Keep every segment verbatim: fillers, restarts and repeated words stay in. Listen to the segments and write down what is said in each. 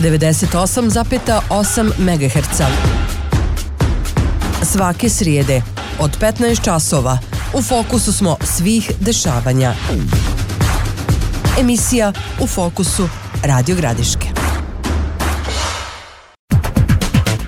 devedeset osam zarez osam megaherca. Svake srijede od petnaest časova u fokusu smo svih dešavanja. Emisija U fokusu Radio Gradiške.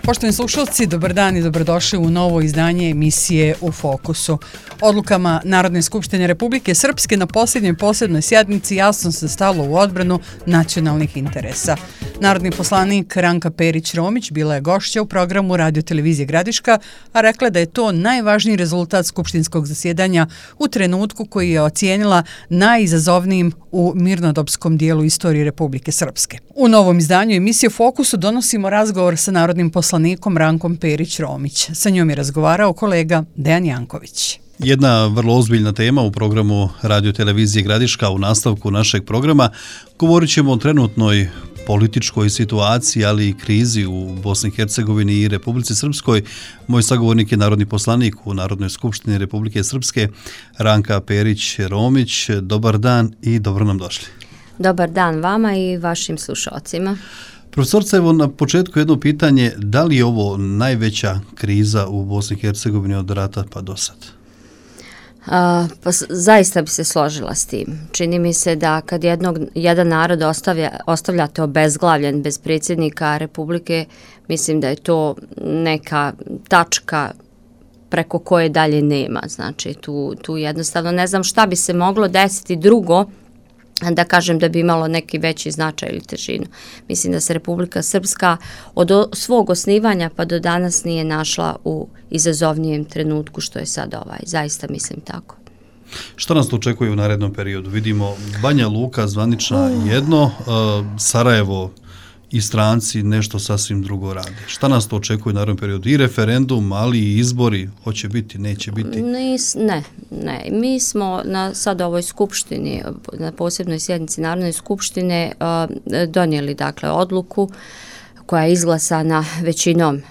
Poštovani slušalci, dobar dan i dobrodošli u novo izdanje emisije U fokusu. Odlukama Narodne skupštine Republike Srpske na posljednjoj posebnoj sjednici jasno se stalo u odbranu nacionalnih interesa. Narodni poslanik Ranka Perić-Romić bila je gošća u programu Radio Televizije Gradiška, a rekla da je to najvažniji rezultat skupštinskog zasjedanja u trenutku koji je ocijenila najizazovnijim u mirnodopskom dijelu istorije Republike Srpske. U novom izdanju emisije U fokusu donosimo razgovor sa narodnim poslanikom Rankom Perić-Romić. Sa njom je razgovarao kolega Dejan Janković. Jedna vrlo ozbiljna tema u programu Radio Televizije Gradiška. U nastavku našeg programa govorit ćemo o trenutnoj političkoj situaciji, ali i krizi u Bosni i Hercegovini i Republici Srpskoj. Moj sagovornik je narodni poslanik u Narodnoj skupštini Republike Srpske, Ranka Perić-Romić. Dobar dan i dobro nam došli. Dobar dan vama i vašim slušalcima. Profesorca, evo na početku jedno pitanje, da li je ovo najveća kriza u Bosni i Hercegovini od rata pa do sad? A, pa zaista bi se složila s tim. Čini mi se da kad jednog, jedan narod ostavlja, ostavljate obezglavljen bez predsjednika Republike, mislim da je to neka tačka preko koje dalje nema. Znači tu, tu jednostavno ne znam šta bi se moglo desiti drugo da kažem da bi imalo neki veći značaj ili težinu. Mislim da se Republika Srpska od svog osnivanja pa do danas nije našla u izazovnijem trenutku što je sad ovaj. Zaista mislim tako. Što nas to očekuje u narednom periodu? Vidimo Banja Luka zvanična jedno, Sarajevo i stranci nešto sasvim drugo rade. Šta nas to očekuje u narednom periodu? I referendum, ali i izbori, hoće biti, neće biti? Nis, ne, ne. Mi smo na sad ovoj skupštini, na posebnoj sjednici Narodne skupštine donijeli dakle odluku koja je izglasana većinom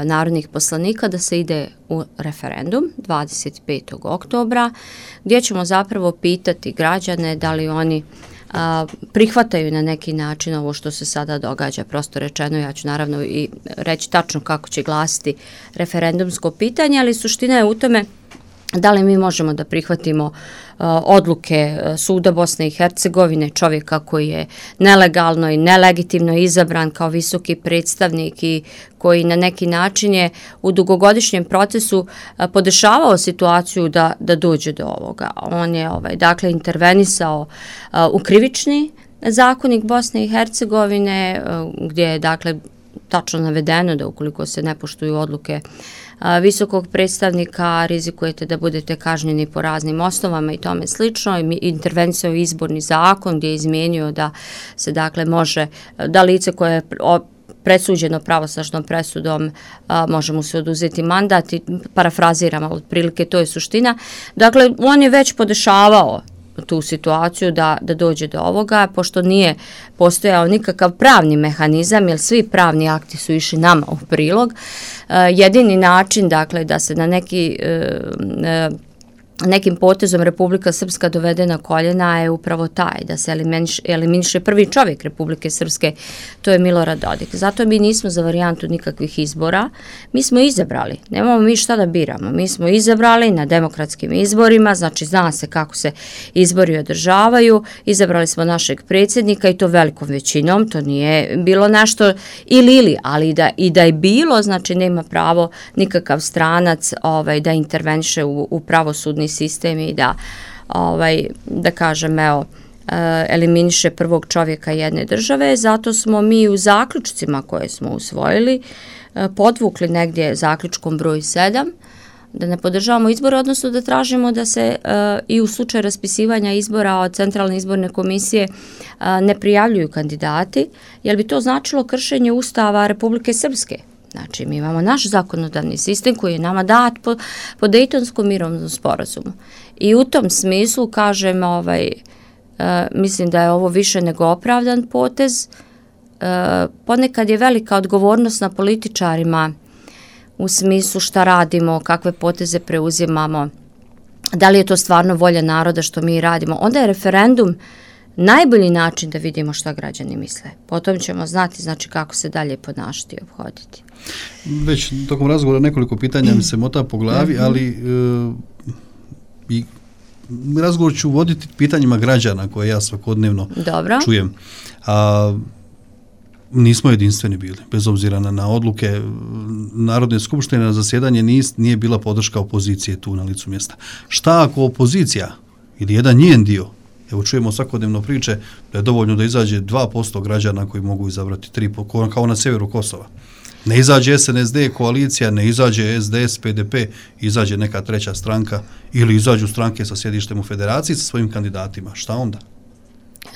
narodnih poslanika da se ide u referendum dvadeset petog oktobra, gdje ćemo zapravo pitati građane da li oni A, prihvataju na neki način ovo što se sada događa. Prosto rečeno, ja ću naravno i reći tačno kako će glasiti referendumsko pitanje, ali suština je u tome da li mi možemo da prihvatimo a, odluke Suda Bosne i Hercegovine, čovjeka koji je nelegalno i nelegitimno izabran kao visoki predstavnik i koji na neki način je u dugogodišnjem procesu a, podešavao situaciju da, da dođe do ovoga. On je ovaj, dakle intervenisao a, u krivični zakonik Bosne i Hercegovine a, gdje je dakle tačno navedeno da ukoliko se ne poštuju odluke a, visokog predstavnika, rizikujete da budete kažnjeni po raznim osnovama i tome slično. I intervenisao izborni zakon gdje je izmijenio da se dakle može, da lice koje je presuđeno pravosnažnom presudom a, može mu se oduzeti mandat i parafraziramo otprilike, to je suština. Dakle, on je već podešavao tu situaciju da, da dođe do ovoga, pošto nije postojao nikakav pravni mehanizam, jer svi pravni akti su išli nama u prilog. E, jedini način, dakle, da se na neki e, e, nekim potezom Republika Srpska dovede na koljena je upravo taj, da se eliminiše, eliminiše prvi čovjek Republike Srpske, to je Milorad Dodik. Zato mi nismo za varijantu nikakvih izbora, mi smo izabrali, nemamo mi šta da biramo, mi smo izabrali na demokratskim izborima, znači zna se kako se izbori održavaju, izabrali smo našeg predsjednika i to velikom većinom, to nije bilo nešto ili ili, ali da, i da je bilo, znači nema pravo nikakav stranac ovaj, da interveniše u, u pravosudni sistem i da, ovaj, da kažem, evo, eliminiše prvog čovjeka jedne države. Zato smo mi u zaključcima koje smo usvojili podvukli negdje zaključkom broj sedam da ne podržavamo izbore, odnosno da tražimo da se uh, i u slučaju raspisivanja izbora od Centralne izborne komisije uh, ne prijavljuju kandidati, jer bi to značilo kršenje Ustava Republike Srpske. Znači, mi imamo naš zakonodavni sistem koji je nama dat po, po Dejtonskom mirovnom sporazumu. I u tom smislu, kažem, ovaj, uh, mislim da je ovo više nego opravdan potez. Uh, ponekad je velika odgovornost na političarima u smislu šta radimo, kakve poteze preuzimamo, da li je to stvarno volja naroda što mi radimo. Onda je referendum najbolji način da vidimo šta građani misle. Potom ćemo znati znači kako se dalje ponašati i obhoditi. Već tokom razgovora nekoliko pitanja mi se mota po glavi, ali e, i razgovor ću voditi pitanjima građana koje ja svakodnevno Dobro. čujem. A, nismo jedinstveni bili, bez obzira na, na odluke Narodne skupštine, na zasjedanje nis, nije bila podrška opozicije tu na licu mjesta. Šta ako opozicija ili jedan njen dio, evo čujemo svakodnevno priče da je dovoljno da izađe dva posto građana koji mogu izabrati tri posto, kao na severu Kosova. Ne izađe S N S D koalicija, ne izađe S D S, P D P, izađe neka treća stranka ili izađu stranke sa sjedištem u federaciji sa svojim kandidatima. Šta onda?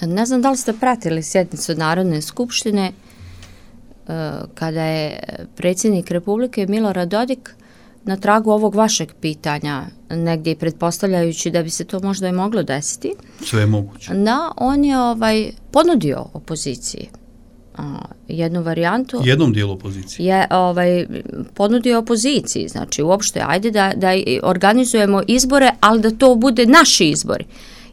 Ne znam da li ste pratili sjednicu Narodne skupštine kada je predsjednik Republike Milorad Dodik na tragu ovog vašeg pitanja, negdje pretpostavljajući da bi se to možda i moglo desiti. Sve je moguće. Da, on je ovaj, ponudio opoziciji a, jednu varijantu. Jednom dijelu opozicije. Je ovaj, ponudio opoziciji, znači uopšte, ajde da, da organizujemo izbore, ali da to bude naši izbori.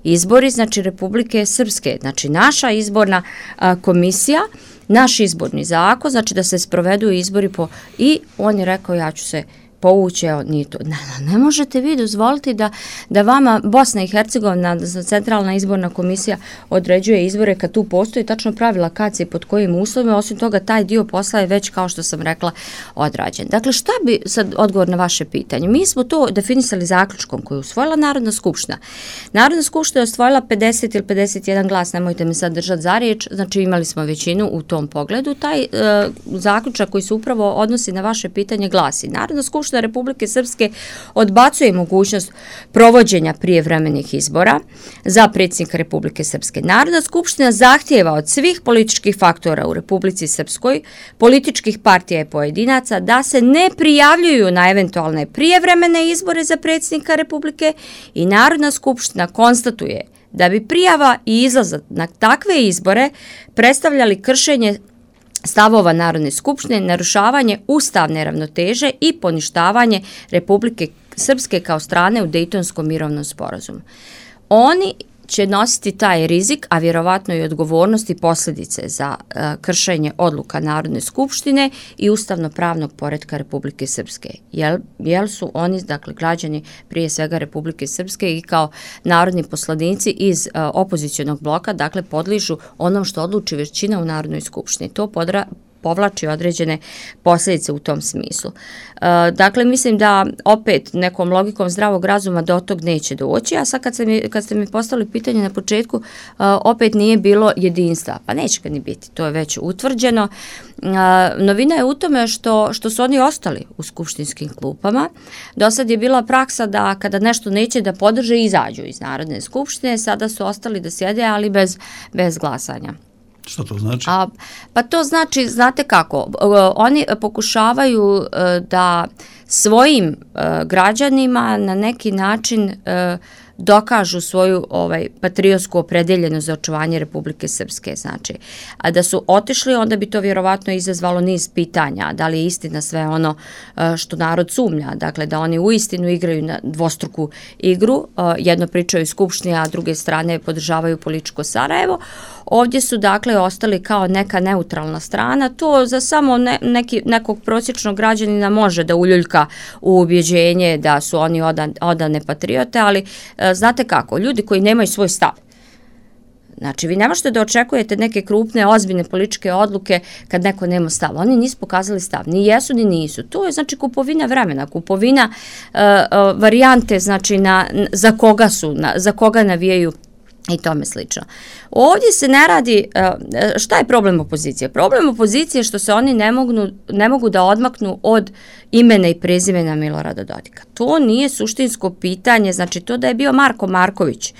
Izbori, znači Republike Srpske, znači naša izborna a, komisija, naš izborni zakon, znači da se sprovedu izbori po... I on je rekao, ja ću se povući, evo, nije to. Ne, ne možete vi dozvoliti da, da vama Bosna i Hercegovina, centralna izborna komisija određuje izbore kad tu postoji tačno pravila kad se pod kojim uslovima, osim toga taj dio posla je već, kao što sam rekla, odrađen. Dakle, šta bi sad odgovor na vaše pitanje? Mi smo to definisali zaključkom koji je usvojila Narodna skupština. Narodna skupština je usvojila pedeset ili pedeset jedan glas, nemojte me sad držati za riječ, znači imali smo većinu u tom pogledu. Taj e, zaključak koji se upravo odnosi na vaše pitanje glasi: Narodna skupština Republike Srpske odbacuje mogućnost provođenja prijevremenih izbora za predsjednika Republike Srpske. Narodna skupština zahtijeva od svih političkih faktora u Republici Srpskoj, političkih partija i pojedinaca, da se ne prijavljuju na eventualne prijevremene izbore za predsjednika Republike i Narodna skupština konstatuje da bi prijava i izlazak na takve izbore predstavljali kršenje stavova Narodne skupštine, narušavanje ustavne ravnoteže i poništavanje Republike Srpske kao strane u Dejtonskom mirovnom sporazumu. Oni će nositi taj rizik, a vjerovatno i odgovornost i posljedice za uh, kršenje odluka Narodne skupštine i ustavno-pravnog poretka Republike Srpske. Jel, jel su oni, dakle, građani prije svega Republike Srpske i kao narodni poslanici iz uh, opozicionog bloka, dakle, podližu onom što odluči većina u Narodnoj skupštini. To podra, povlači određene posljedice u tom smislu. E, dakle, mislim da opet nekom logikom zdravog razuma do tog neće doći, a sad kad, se mi, kad ste mi postavili pitanje na početku, e, opet nije bilo jedinstva. Pa neće ga ni biti, to je već utvrđeno. E, novina je u tome što, što su oni ostali u skupštinskim klupama. Do sad je bila praksa da kada nešto neće da podrže, izađu iz Narodne skupštine, sada su ostali da sjede, ali bez, bez glasanja. Što to znači? A, pa to znači, znate kako, oni pokušavaju da svojim građanima na neki način dokažu svoju ovaj patriotsku opredeljenost za očuvanje Republike Srpske, znači. A da su otišli, onda bi to vjerovatno izazvalo niz pitanja, da li je istina sve ono što narod sumnja, dakle da oni uistinu igraju na dvostruku igru, jedno pričaju u skupštini, a druge strane podržavaju političko Sarajevo. Ovdje su dakle ostali kao neka neutralna strana, to za samo ne, neki, nekog prosječnog građanina može da uljuljka u ubjeđenje da su oni odan, odane patriote, ali znate kako, ljudi koji nemaju svoj stav, znači vi ne možete da očekujete neke krupne, ozbiljne političke odluke kad neko nema stav. Oni nisu pokazali stav, ni jesu ni nisu. To je znači kupovina vremena, kupovina uh, uh, varijante, znači na, za koga su, na, za koga navijaju i tome slično. Ovdje se ne radi, šta je problem opozicije? Problem opozicije je što se oni ne mogu, ne mogu da odmaknu od imena i prezimena Milorada Dodika. To nije suštinsko pitanje, znači to da je bio Marko Marković,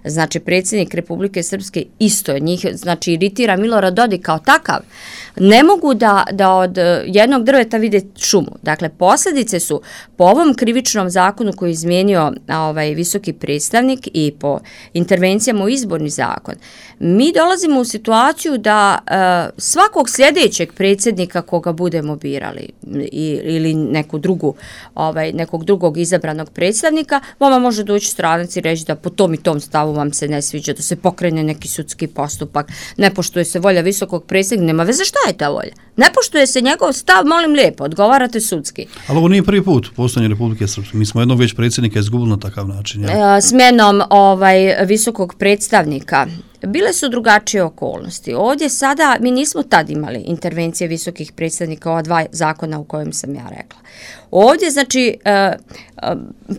znači predsjednik Republike Srpske, isto je njih, znači iritira Milorad Dodik kao takav. Ne mogu da, da od jednog drveta vide šumu. Dakle, posljedice su po ovom krivičnom zakonu koji je izmijenio ovaj visoki predstavnik i po intervencijama u izborni zakon. Mi dolazimo u situaciju da uh, svakog sljedećeg predsjednika koga budemo birali i, ili neku drugu, ovaj, nekog drugog izabranog predstavnika, vama može doći stranac i reći da po tom i tom stavu stav vam se ne sviđa, da se pokrene neki sudski postupak, ne poštuje se volja visokog predsjednika, nema veze šta je ta volja. Ne poštuje se njegov stav, molim lijepo, odgovarate sudski. Ali ovo nije prvi put postojanje Republike Srpske. Mi smo jednog već predsjednika izgubili na takav način. Ja? Smjenom ovaj, visokog predstavnika bile su drugačije okolnosti. Ovdje sada, mi nismo tad imali intervencije visokih predstavnika, ova dva zakona u kojem sam ja rekla. Ovdje, znači, e, e,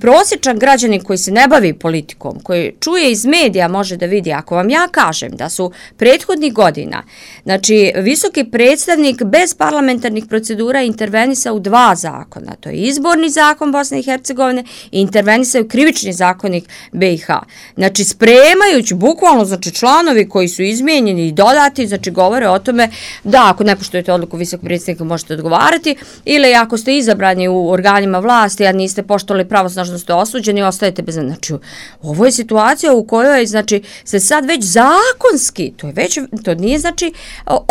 prosječan građanin koji se ne bavi politikom, koji čuje iz medija, može da vidi, ako vam ja kažem da su prethodnih godina, znači, visoki predstavnik bez parlamentarnih procedura intervenisao u dva zakona, to je izborni zakon Bosne i Hercegovine i intervenisao krivični zakonik B i H. Znači, spremajući, bukvalno, znači, članovi koji su izmijenjeni i dodati, znači, govore o tome da ako ne poštujete odluku visokog predstavnika možete odgovarati, ili ako ste izabrani u organima vlasti, a niste poštovali pravosnažno ste osuđeni, ostajete bez... Znači, ovo je situacija u kojoj, znači, se sad već zakonski, to je već, to nije, znači,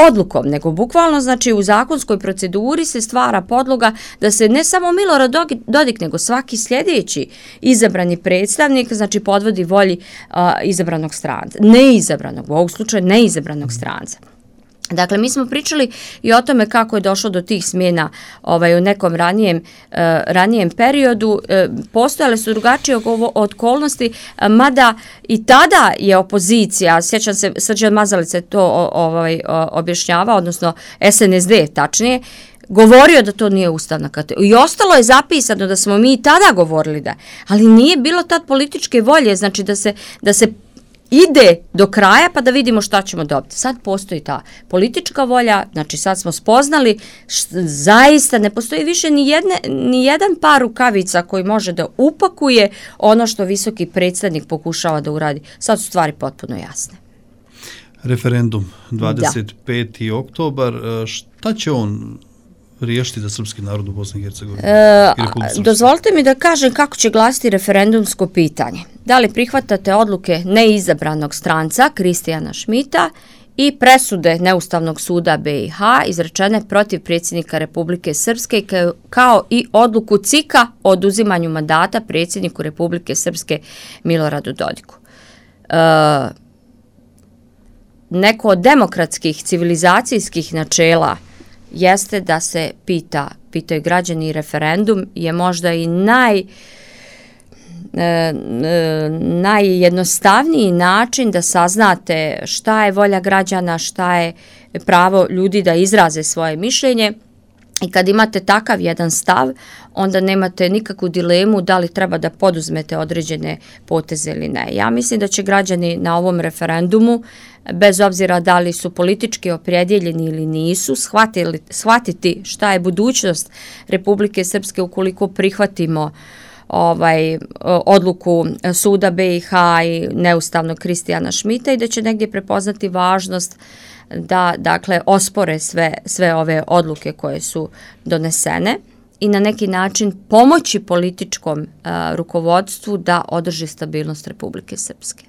odlukom, nego bukvalno, znači, u zakonskoj proceduri se stvara podloga da se ne samo Milorad Dodik, nego svaki sljedeći izabrani predstavnik, znači, podvodi volji a, izabranog stranca. Neizabranog, u ovom slučaju neizabranog stranca. Dakle, mi smo pričali i o tome kako je došlo do tih smjena ovaj, u nekom ranijem, uh, ranijem periodu. Uh, postojale su drugačije okolnosti, uh, mada i tada je opozicija, sjećam se, Srđan Mazalica je to ovaj, objašnjava, odnosno S N S D tačnije, govorio da to nije ustavna kategorija. I ostalo je zapisano da smo mi i tada govorili da, ali nije bilo tad političke volje, znači da se, da se ide do kraja pa da vidimo šta ćemo dobiti. Sad postoji ta politička volja, znači sad smo spoznali, št, zaista ne postoji više ni, jedne, ni jedan par rukavica koji može da upakuje ono što visoki predstavnik pokušava da uradi. Sad su stvari potpuno jasne. Referendum dvadeset peti oktobar, šta će on riješiti za srpski narod u Bosni i Hercegovini? E, dozvolite mi da kažem kako će glasiti referendumsko pitanje. Da li prihvatate odluke neizabranog stranca Kristijana Šmita i presude Neustavnog suda B i H izrečene protiv predsjednika Republike Srpske kao i odluku C I K-a o oduzimanju mandata predsjedniku Republike Srpske Miloradu Dodiku. E, neko od demokratskih civilizacijskih načela jeste da se pita, pitaju građani, i referendum je možda i naj, e, e, najjednostavniji način da saznate šta je volja građana, šta je pravo ljudi da izraze svoje mišljenje. I kad imate takav jedan stav, onda nemate nikakvu dilemu da li treba da poduzmete određene poteze ili ne. Ja mislim da će građani na ovom referendumu, bez obzira da li su politički opredjeljeni ili nisu, shvatili, shvatiti šta je budućnost Republike Srpske ukoliko prihvatimo ovaj odluku suda B i H i neustavnog Kristijana Šmita i da će negdje prepoznati važnost da, dakle, ospore sve, sve ove odluke koje su donesene i na neki način pomoći političkom uh, rukovodstvu da održi stabilnost Republike Srpske.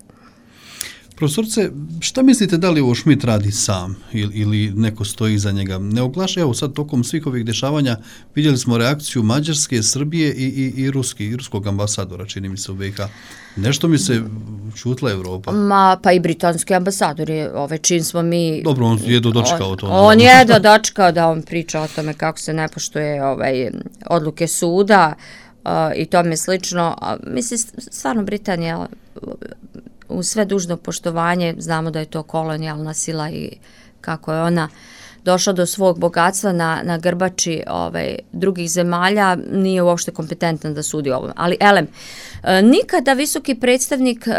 Profesorce, šta mislite da li ovo Šmit radi sam ili, ili neko stoji iza njega? Ne oglaša, evo sad tokom svih ovih dešavanja vidjeli smo reakciju Mađarske, Srbije i, i, i, Ruski, i ruskog ambasadora, čini mi se u B i H. Nešto mi se čutla Evropa. Ma, pa i britanski ambasador je, ove čin smo mi... Dobro, on je dočekao on, to. On je dočekao da on priča o tome kako se ne poštuje ovaj, odluke suda uh, i tome slično. Uh, mislim, stvarno Britanija... U sve dužno poštovanje, znamo da je to kolonijalna sila i kako je ona došla do svog bogatstva na, na grbači ovaj, drugih zemalja, nije uopšte kompetentna da sudi ovom. Ali, elem, e, nikada visoki predstavnik e,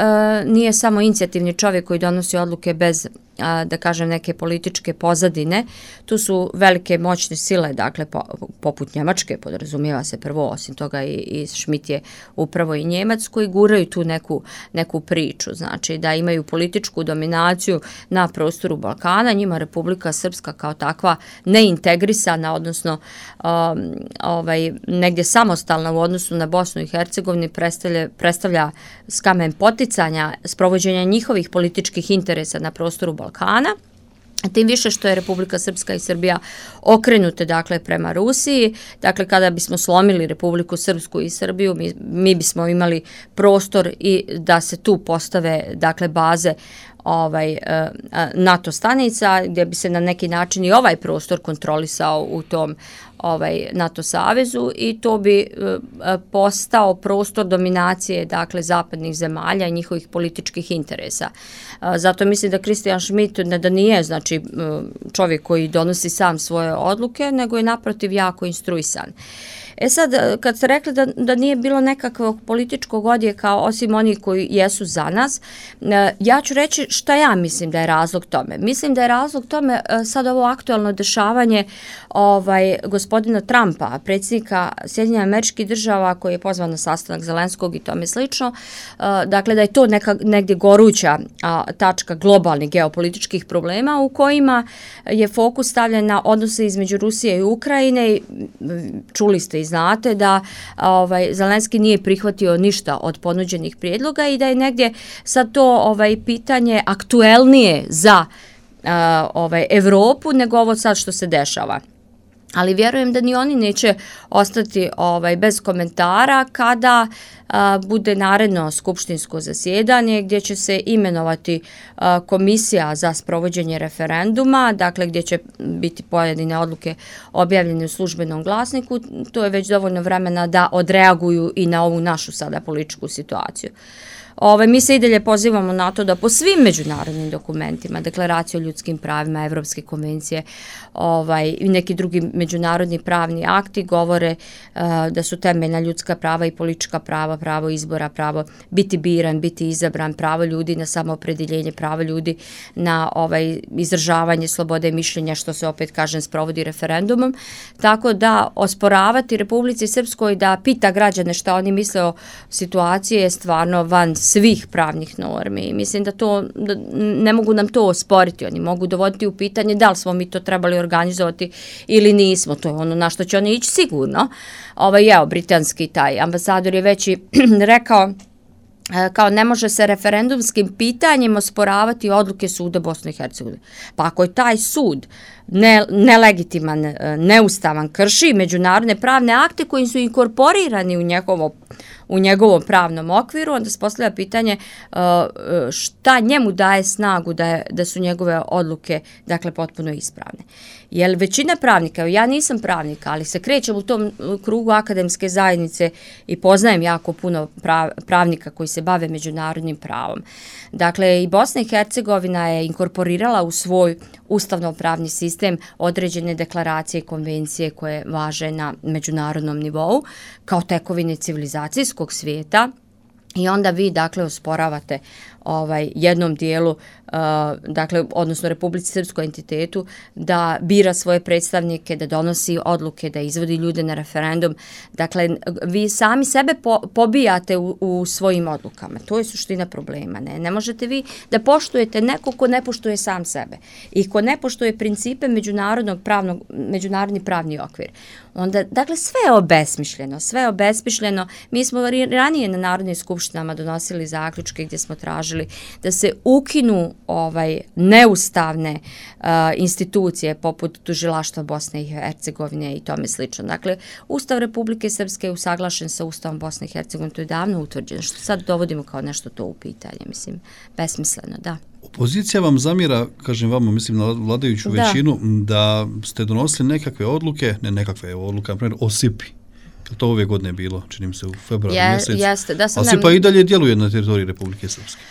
nije samo inicijativni čovjek koji donosi odluke bez, a, da kažem, neke političke pozadine. Tu su velike moćne sile, dakle, po, poput Njemačke, podrazumijeva se prvo, osim toga i, i Šmit je upravo i Njemac, koji guraju tu neku, neku priču, znači da imaju političku dominaciju na prostoru Balkana, njima Republika Srpska kao takva neintegrisana, odnosno um, ovaj, negdje samostalna u odnosu na Bosnu i Hercegovini predstavlja, predstavlja kamen poticanja sprovođenja njihovih političkih interesa na prostoru Balkana. Tim više što je Republika Srpska i Srbija okrenute dakle prema Rusiji, dakle kada bismo slomili Republiku Srpsku i Srbiju, mi, mi bismo imali prostor i da se tu postave dakle baze ovaj NATO stanica gdje bi se na neki način i ovaj prostor kontrolisao u tom ovaj NATO savezu i to bi postao prostor dominacije dakle zapadnih zemalja i njihovih političkih interesa. Zato mislim da Christian Schmidt ne da nije znači čovjek koji donosi sam svoje odluke, nego je naprotiv jako instruisan. E sad, kad ste rekli da, da nije bilo nekakvog političkog odjeka osim onih koji jesu za nas, ja ću reći šta ja mislim da je razlog tome. Mislim da je razlog tome sad ovo aktualno dešavanje ovaj, gospodina Trumpa, predsjednika Sjedinjenih Američkih Država koji je pozvan na sastanak Zelenskog i tome slično. Dakle, da je to neka, negdje goruća a, tačka globalnih geopolitičkih problema u kojima je fokus stavljen na odnose između Rusije i Ukrajine. Čuli ste i znate da ovaj, Zelenski nije prihvatio ništa od ponuđenih prijedloga i da je negdje sad to ovaj, pitanje aktuelnije za uh, ovaj, Evropu nego ovo sad što se dešava. Ali vjerujem da ni oni neće ostati ovaj, bez komentara kada a, bude naredno skupštinsko zasjedanje gdje će se imenovati a, komisija za sprovođenje referenduma, dakle gdje će biti pojedine odluke objavljene u službenom glasniku. To je već dovoljno vremena da odreaguju i na ovu našu sada političku situaciju. Ove, mi se i dalje pozivamo na to da po svim međunarodnim dokumentima, deklaraciju o ljudskim pravima, Evropske konvencije ovaj, i neki drugi međunarodni pravni akti govore uh, da su temeljna ljudska prava i politička prava, pravo izbora, pravo biti biran, biti izabran, pravo ljudi na samoopredjeljenje, pravo ljudi na ovaj, izražavanje slobode mišljenja, što se opet kažem sprovodi referendumom. Tako da osporavati Republici Srpskoj da pita građane šta oni misle o situaciji je stvarno van svih pravnih normi. Mislim da to da ne mogu nam to osporiti. Oni mogu dovoditi u pitanje da li smo mi to trebali organizovati ili nismo. To je ono na što će oni ići sigurno. Ovaj, evo, britanski taj ambasador je već i rekao kao ne može se referendumskim pitanjem osporavati odluke suda Bosne i Hercegovine. Pa ako je taj sud ne, nelegitiman, neustavan, krši međunarodne pravne akte koji su inkorporirani u njegovo u njegovom pravnom okviru, onda se postavlja pitanje uh, šta njemu daje snagu da, je, da su njegove odluke dakle potpuno ispravne. Jer većina pravnika, ja nisam pravnika, ali se krećem u tom krugu akademske zajednice i poznajem jako puno prav, pravnika koji se bave međunarodnim pravom. Dakle, i Bosna i Hercegovina je inkorporirala u svoj ustavno-pravni sistem određene deklaracije i konvencije koje važe na međunarodnom nivou kao tekovine civilizacijskog svijeta. I onda vi, dakle, osporavate ovaj, jednom dijelu, uh, dakle, odnosno Republici Srpskoj entitetu, da bira svoje predstavnike, da donosi odluke, da izvodi ljude na referendum. Dakle, vi sami sebe po, pobijate u, u svojim odlukama. To je suština problema. Ne? ne možete vi da poštujete neko ko ne poštuje sam sebe i ko ne poštuje principe međunarodnog pravnog, međunarodni pravni okvir. Onda, dakle, sve je obesmišljeno, sve je obesmišljeno. Mi smo ranije na Narodnim skupštinama donosili zaključke gdje smo tražili da se ukinu ovaj neustavne uh, institucije poput tužilaštva Bosne i Hercegovine i tome slično. Dakle, Ustav Republike Srpske je usaglašen sa Ustavom Bosne i Hercegovine, to je davno utvrđeno. Što sad dovodimo kao nešto to u pitanje, mislim, besmisleno, da. Opozicija vam zamjera, kažem vama, mislim na vladajuću da. većinu, da ste donosili nekakve odluke, ne nekakve odluke, na primjer o S I P-i. To ove godine bilo, čini mi se u februaru Je, mjesec. Jeste, da sam A S I P-a i dalje djeluje na teritoriji Republike Srpske.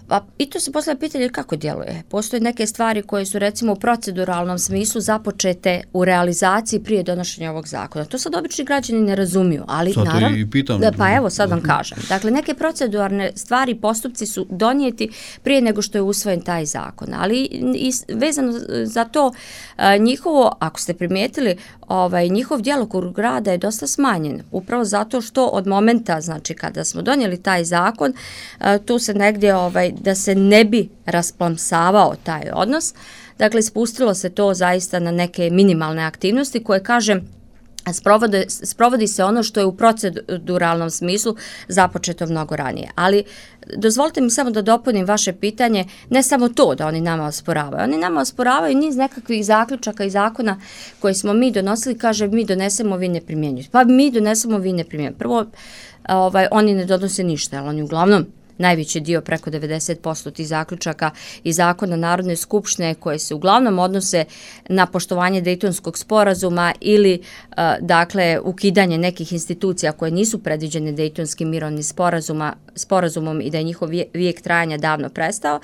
Pa i to se postavlja pitanje kako djeluje. Postoje neke stvari koje su recimo u proceduralnom smislu započete u realizaciji prije donošenja ovog zakona. To sad obični građani ne razumiju, ali sad naravno... I pitam, da, pa evo sad vam kažem. Dakle, neke proceduralne stvari, postupci su donijeti prije nego što je usvojen taj zakon. Ali i vezano za to njihovo, ako ste primijetili, ovaj, njihov djelokrug rada je dosta smanjen. Upravo zato što od momenta, znači kada smo donijeli taj zakon, tu se negdje ovaj, da se ne bi rasplamsavao taj odnos. Dakle, spustilo se to zaista na neke minimalne aktivnosti koje, kažem, Sprovode, sprovodi se ono što je u proceduralnom smislu započeto mnogo ranije. Ali dozvolite mi samo da dopunim vaše pitanje, ne samo to da oni nama osporavaju. Oni nama osporavaju niz nekakvih zaključaka i zakona koje smo mi donosili, kaže mi donesemo, vi ne primjenjujete. Pa mi donesemo, vi ne primjenjujete. Prvo, ovaj, oni ne donose ništa, ali oni uglavnom najveći dio, preko devedeset posto tih zaključaka i zakona Narodne skupštine koje se uglavnom odnose na poštovanje Dejtonskog sporazuma ili dakle ukidanje nekih institucija koje nisu predviđene Dejtonskim mirovnim sporazuma, sporazumom i da je njihov vijek trajanja davno prestao.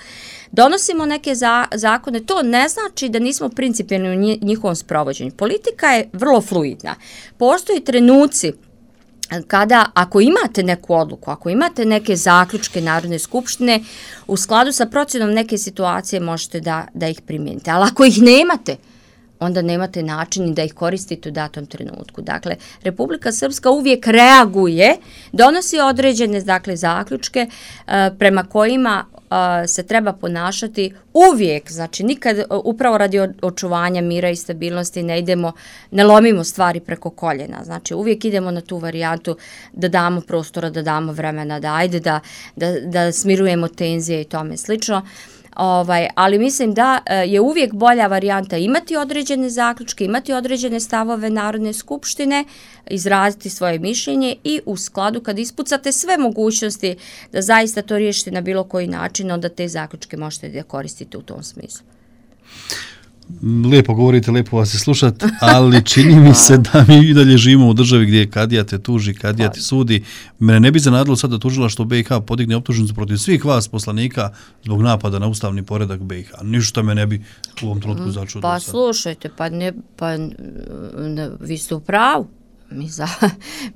Donosimo neke za, zakone, to ne znači da nismo principijelni u njihovom sprovođenju. Politika je vrlo fluidna. Postoji trenuci kada, ako imate neku odluku, ako imate neke zaključke Narodne skupštine, u skladu sa procjenom neke situacije možete da, da ih primijenite. Ali ako ih nemate, onda nemate način da ih koristite u datom trenutku. Dakle, Republika Srpska uvijek reaguje, donosi određene dakle, zaključke uh, prema kojima uh, se treba ponašati uvijek, znači nikad upravo radi očuvanja mira i stabilnosti ne idemo, ne lomimo stvari preko koljena. Znači uvijek idemo na tu varijantu da damo prostora, da damo vremena, da ajde da, da, da smirujemo tenzije i tome slično. Ovaj, ali mislim da je uvijek bolja varijanta imati određene zaključke, imati određene stavove Narodne skupštine, izraziti svoje mišljenje i u skladu kad ispucate sve mogućnosti da zaista to riješite na bilo koji način, onda te zaključke možete da koristite u tom smislu. Lijepo govorite, lijepo vas je slušati, ali čini mi se da mi i dalje živimo u državi gdje kadija te tuži, kadija ti sudi. Mene ne bi zanadilo sad da tužilaštvo B i H podigne optužnicu protiv svih vas poslanika zbog napada na ustavni poredak B i H. Ništa me ne bi u ovom trenutku začudilo. Pa slušajte, pa, ne, pa ne, vi ste u pravu. Mi, za,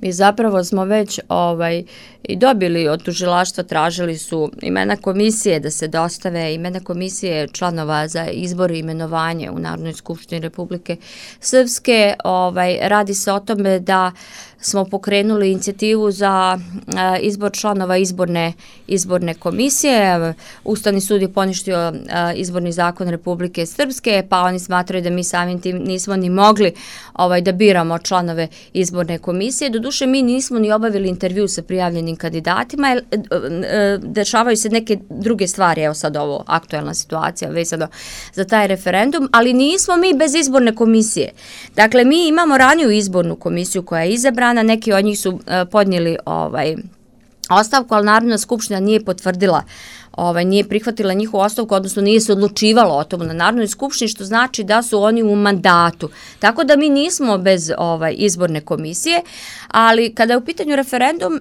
mi zapravo smo već ovaj, i dobili od tužilaštva, tražili su imena komisije da se dostave, imena komisije članova za izbor i imenovanje u Narodnoj skupštini Republike Srpske. Ovaj, radi se o tome da smo pokrenuli inicijativu za a, izbor članova izborne, izborne komisije. Ustavni sud je poništio a, izborni zakon Republike Srpske, pa oni smatraju da mi samim tim nismo ni mogli ovaj, da biramo članove izborne komisije. Doduše, mi nismo ni obavili intervju sa prijavljenim kandidatima, jer e, e, dešavaju se neke druge stvari, evo sad ovo aktuelna situacija vezano za taj referendum, ali nismo mi bez izborne komisije. Dakle, mi imamo raniju izbornu komisiju koja je izabrana, neki od njih su uh, podnijeli ovaj, ostavku, ali Narodna skupština nije potvrdila, ovaj, nije prihvatila njihovu ostavku, odnosno nije se odlučivalo o tomu na Narodnoj skupštini, što znači da su oni u mandatu. Tako da mi nismo bez ovaj, izborne komisije, ali kada je u pitanju referendum, uh,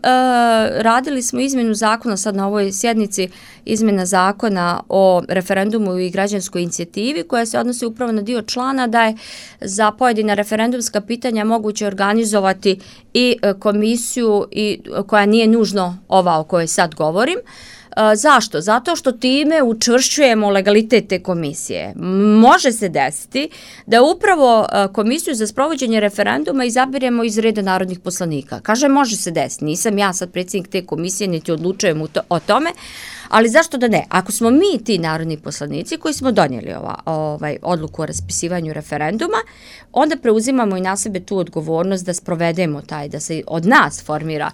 radili smo izmjenu zakona sad na ovoj sjednici, izmjena zakona o referendumu i građanskoj inicijativi koja se odnosi upravo na dio člana da je za pojedina referendumska pitanja moguće organizovati i komisiju i koja nije nužno ova o kojoj sad govorim. Zašto? Zato što time učvršćujemo legalitet te komisije. Može se desiti da upravo komisiju za sprovođenje referenduma izabiremo iz reda narodnih poslanika. Kaže, može se desiti. Nisam ja sad predsjednik te komisije, niti odlučujem o tome, ali zašto da ne? Ako smo mi ti narodni poslanici koji smo donijeli ova, ovaj, odluku o raspisivanju referenduma, onda preuzimamo i na sebe tu odgovornost da sprovedemo taj, da se od nas formira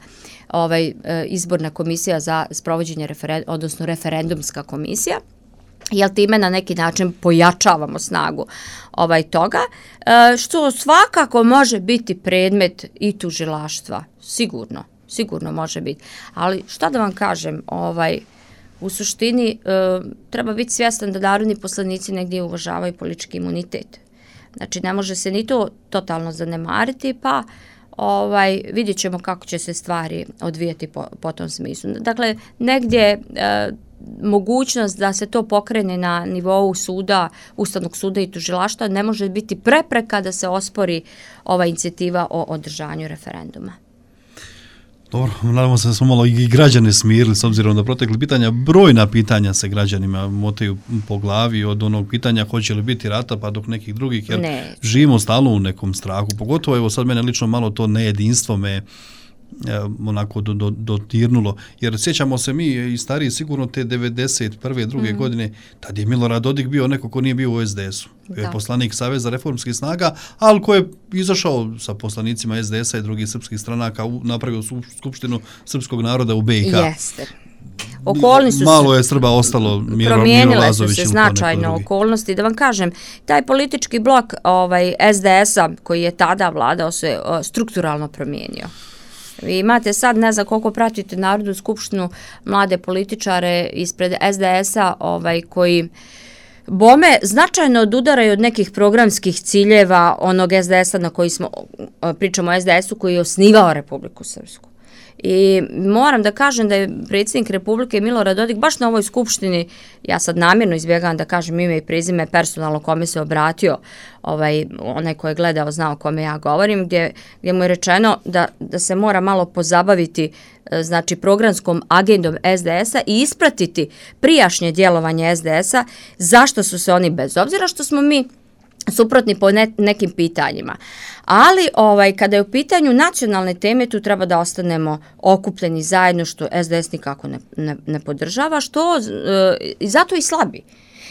ovaj, izborna komisija za sprovođenje referenduma, odnosno referendumska komisija, jel time na neki način pojačavamo snagu ovaj toga, što svakako može biti predmet i tužilaštva, sigurno, sigurno može biti. Ali šta da vam kažem, ovaj, u suštini e, treba biti svjestan da narodni poslanici negdje uvažavaju politički imunitet. Znači ne može se ni to totalno zanemariti, pa ovaj, vidjet ćemo kako će se stvari odvijati po, po tom smislu. Dakle, negdje e, mogućnost da se to pokrene na nivou suda, Ustavnog suda i tužilaštva ne može biti prepreka da se ospori ova inicijativa o održanju referenduma. Dobro, nadamo se da smo malo i građane smirili s obzirom da protekli pitanja, brojna pitanja se građanima motaju po glavi od onog pitanja hoće li biti rata pa dok nekih drugih, jer ne. Živimo stalno u nekom strahu, pogotovo evo sad mene lično malo to nejedinstvo me onako do, do, dotirnulo. Jer sjećamo se mi i stariji sigurno te devedeset prve druge mm. godine, tad je Milorad Dodik bio neko ko nije bio u es de esu. Bio je poslanik Saveza reformskih snaga, ali ko je izašao sa poslanicima es de esa i drugih srpskih stranaka, napravio skupštinu srpskog naroda u be i ka. Jeste. Okolnosti malo je Srba ostalo, Miro, promijenile Miro su se značajno okolnosti. Da vam kažem, taj politički blok ovaj, es de esa koji je tada vladao se o, strukturalno promijenio. Vi imate sad, ne znam koliko pratite Narodnu skupštinu, mlade političare ispred es de esa ovaj, koji bome značajno odudaraju od nekih programskih ciljeva onog es de esa na koji smo, pričamo o es de esu koji je osnivao Republiku Srpsku. I moram da kažem da je predsjednik Republike Milorad Dodik baš na ovoj skupštini, ja sad namjerno izbjegavam da kažem ime i prezime personalno kome se obratio, ovaj, onaj ko je gledao znao kome ja govorim, gdje, gdje mu je rečeno da, da se mora malo pozabaviti znači programskom agendom es de esa i ispratiti prijašnje djelovanje es de esa, zašto su se oni, bez obzira što smo mi suprotni po ne, nekim pitanjima. Ali ovaj, kada je u pitanju nacionalne teme, tu treba da ostanemo okupljeni zajedno, što es de es nikako ne, ne, ne podržava, što e, zato i slabi.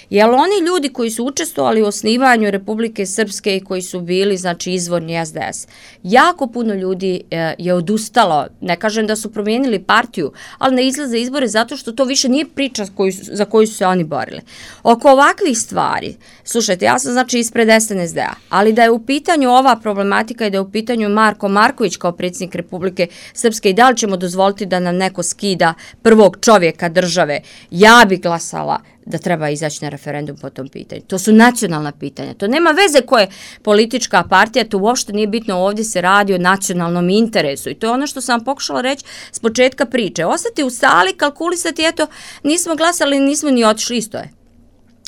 Jer oni ljudi koji su učestvovali u osnivanju Republike Srpske i koji su bili, znači, izvorni es de es, jako puno ljudi e, je odustalo, ne kažem da su promijenili partiju, ali ne izlaze izbore zato što to više nije priča koju, za koju su se oni borili. Oko ovakvih stvari, slušajte, ja sam znači ispred es en es de a, ali da je u pitanju ova problematika i da je u pitanju Marko Marković kao predsjednik Republike Srpske i da li ćemo dozvoliti da nam neko skida prvog čovjeka države, ja bi glasala da treba izaći na referendum po tom pitanju. To su nacionalna pitanja. To nema veze koja je politička partija, to uopšte nije bitno, ovdje se radi o nacionalnom interesu. I to je ono što sam pokušala reći s početka priče. Ostati u sali, kalkulisati, eto, nismo glasali, nismo ni otišli, isto je.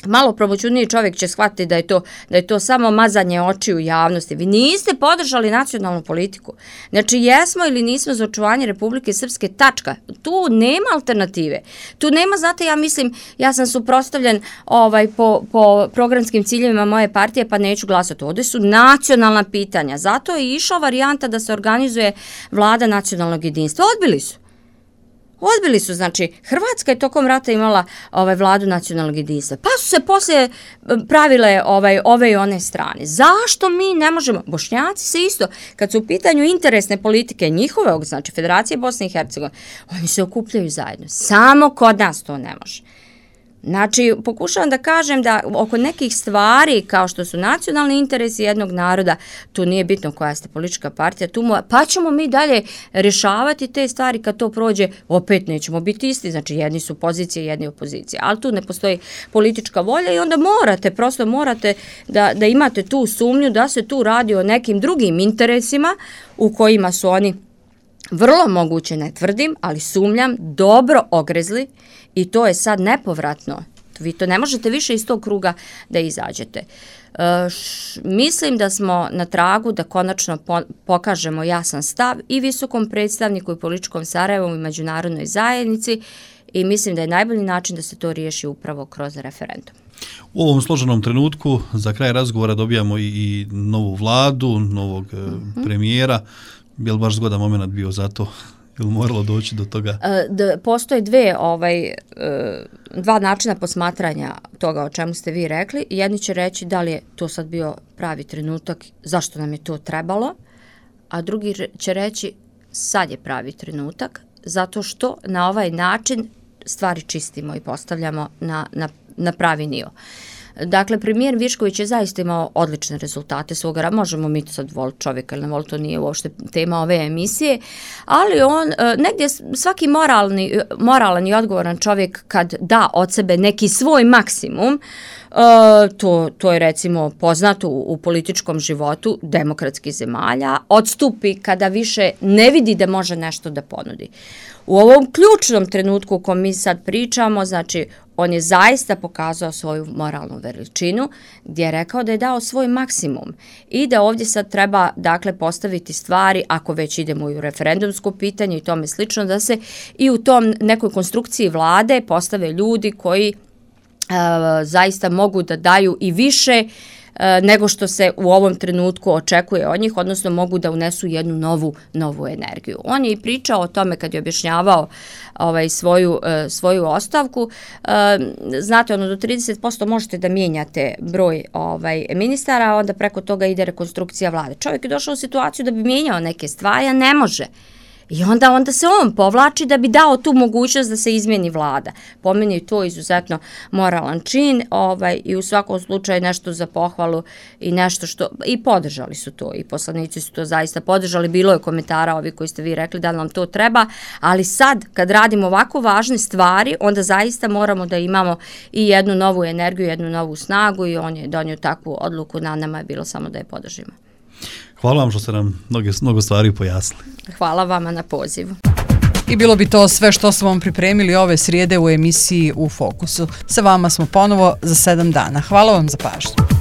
Malo promoćuniji čovjek će shvatiti da je to da je to samo mazanje očiju javnosti. Vi niste podržali nacionalnu politiku. Znači, jesmo ili nismo za očuvanje Republike Srpske, tačka. Tu nema alternative. Tu nema, znate, ja mislim, ja sam suprotstavljen ovaj, po, po programskim ciljevima moje partije, pa neću glasati. Ovdje su nacionalna pitanja. Zato je išla varijanta da se organizuje vlada nacionalnog jedinstva. Odbili su. Odbili su, znači, Hrvatska je tokom rata imala ovaj, vladu nacionalnog jedinstva. Pa su se poslije pravile ovaj, ove i one strane. Zašto mi ne možemo? Bošnjaci se isto, kad su u pitanju interesne politike njihove, znači Federacije Bosne i Hercegovine, oni se okupljaju zajedno. Samo kod nas to ne može. Znači, pokušavam da kažem da oko nekih stvari, kao što su nacionalni interesi jednog naroda, tu nije bitno koja ste politička partija, tu mo, pa ćemo mi dalje rješavati te stvari kad to prođe, opet nećemo biti isti, znači jedni su pozicije, jedni opozicije, ali tu ne postoji politička volja i onda morate, prosto morate da, da imate tu sumnju da se tu radi o nekim drugim interesima u kojima su oni vrlo moguće, ne tvrdim, ali sumnjam, dobro ogrezli i to je sad nepovratno. Vi to ne možete više iz tog kruga da izađete. E, š, mislim da smo na tragu da konačno po, pokažemo jasan stav i visokom predstavniku i političkom Sarajevu i međunarodnoj zajednici i mislim da je najbolji način da se to riješi upravo kroz referendum. U ovom složenom trenutku za kraj razgovora dobijamo i, i novu vladu, novog mm-hmm. premijera. Je li baš zgodan moment bio za to? Je li moralo doći do toga? E, da, postoje dve, ovaj, e, dva načina posmatranja toga o čemu ste vi rekli. Jedni će reći da li je to sad bio pravi trenutak, zašto nam je to trebalo, a drugi će reći sad je pravi trenutak, zato što na ovaj način stvari čistimo i postavljamo na, na, na pravi nivo. Dakle, premijer Višković je zaista imao odlične rezultate svoga, možemo mi to sad voliti čovjeka ili ne voliti, to nije uopšte tema ove emisije, ali on, negdje svaki moralni, moralan i odgovoran čovjek kad da od sebe neki svoj maksimum, to, to je recimo poznato u, u političkom životu demokratskih zemalja, odstupi kada više ne vidi da može nešto da ponudi. U ovom ključnom trenutku u kom mi sad pričamo, znači, on je zaista pokazao svoju moralnu veličinu, gdje je rekao da je dao svoj maksimum i da ovdje sad treba, dakle, postaviti stvari, ako već idemo u referendumsko pitanje i tome slično, da se i u tom nekoj konstrukciji vlade postave ljudi koji Uh, zaista mogu da daju i više nego što se u ovom trenutku očekuje od njih, odnosno mogu da unesu jednu novu, novu energiju. On je i pričao o tome kad je objašnjavao ovaj, svoju, svoju ostavku. Znate, ono, do trideset posto možete da mijenjate broj ovaj, ministara, a onda preko toga ide rekonstrukcija vlade. Čovjek je došao u situaciju da bi mijenjao neke stvari, a ne može. I onda, onda se on povlači da bi dao tu mogućnost da se izmijeni vlada. Po meni je to izuzetno moralan čin ovaj, i u svakom slučaju nešto za pohvalu i nešto što, i podržali su to, i poslanici su to zaista podržali. Bilo je komentara ovi koji ste vi rekli da nam to treba, ali sad kad radimo ovako važne stvari, onda zaista moramo da imamo i jednu novu energiju, jednu novu snagu i on je donio takvu odluku, na nama je bilo samo da je podržimo. Hvala vam što ste nam mnogo, mnogo stvari pojasnili. Hvala vama na pozivu. I bilo bi to sve što smo vam pripremili ove srijede u emisiji U fokusu. Sa vama smo ponovo za sedam dana. Hvala vam za pažnju.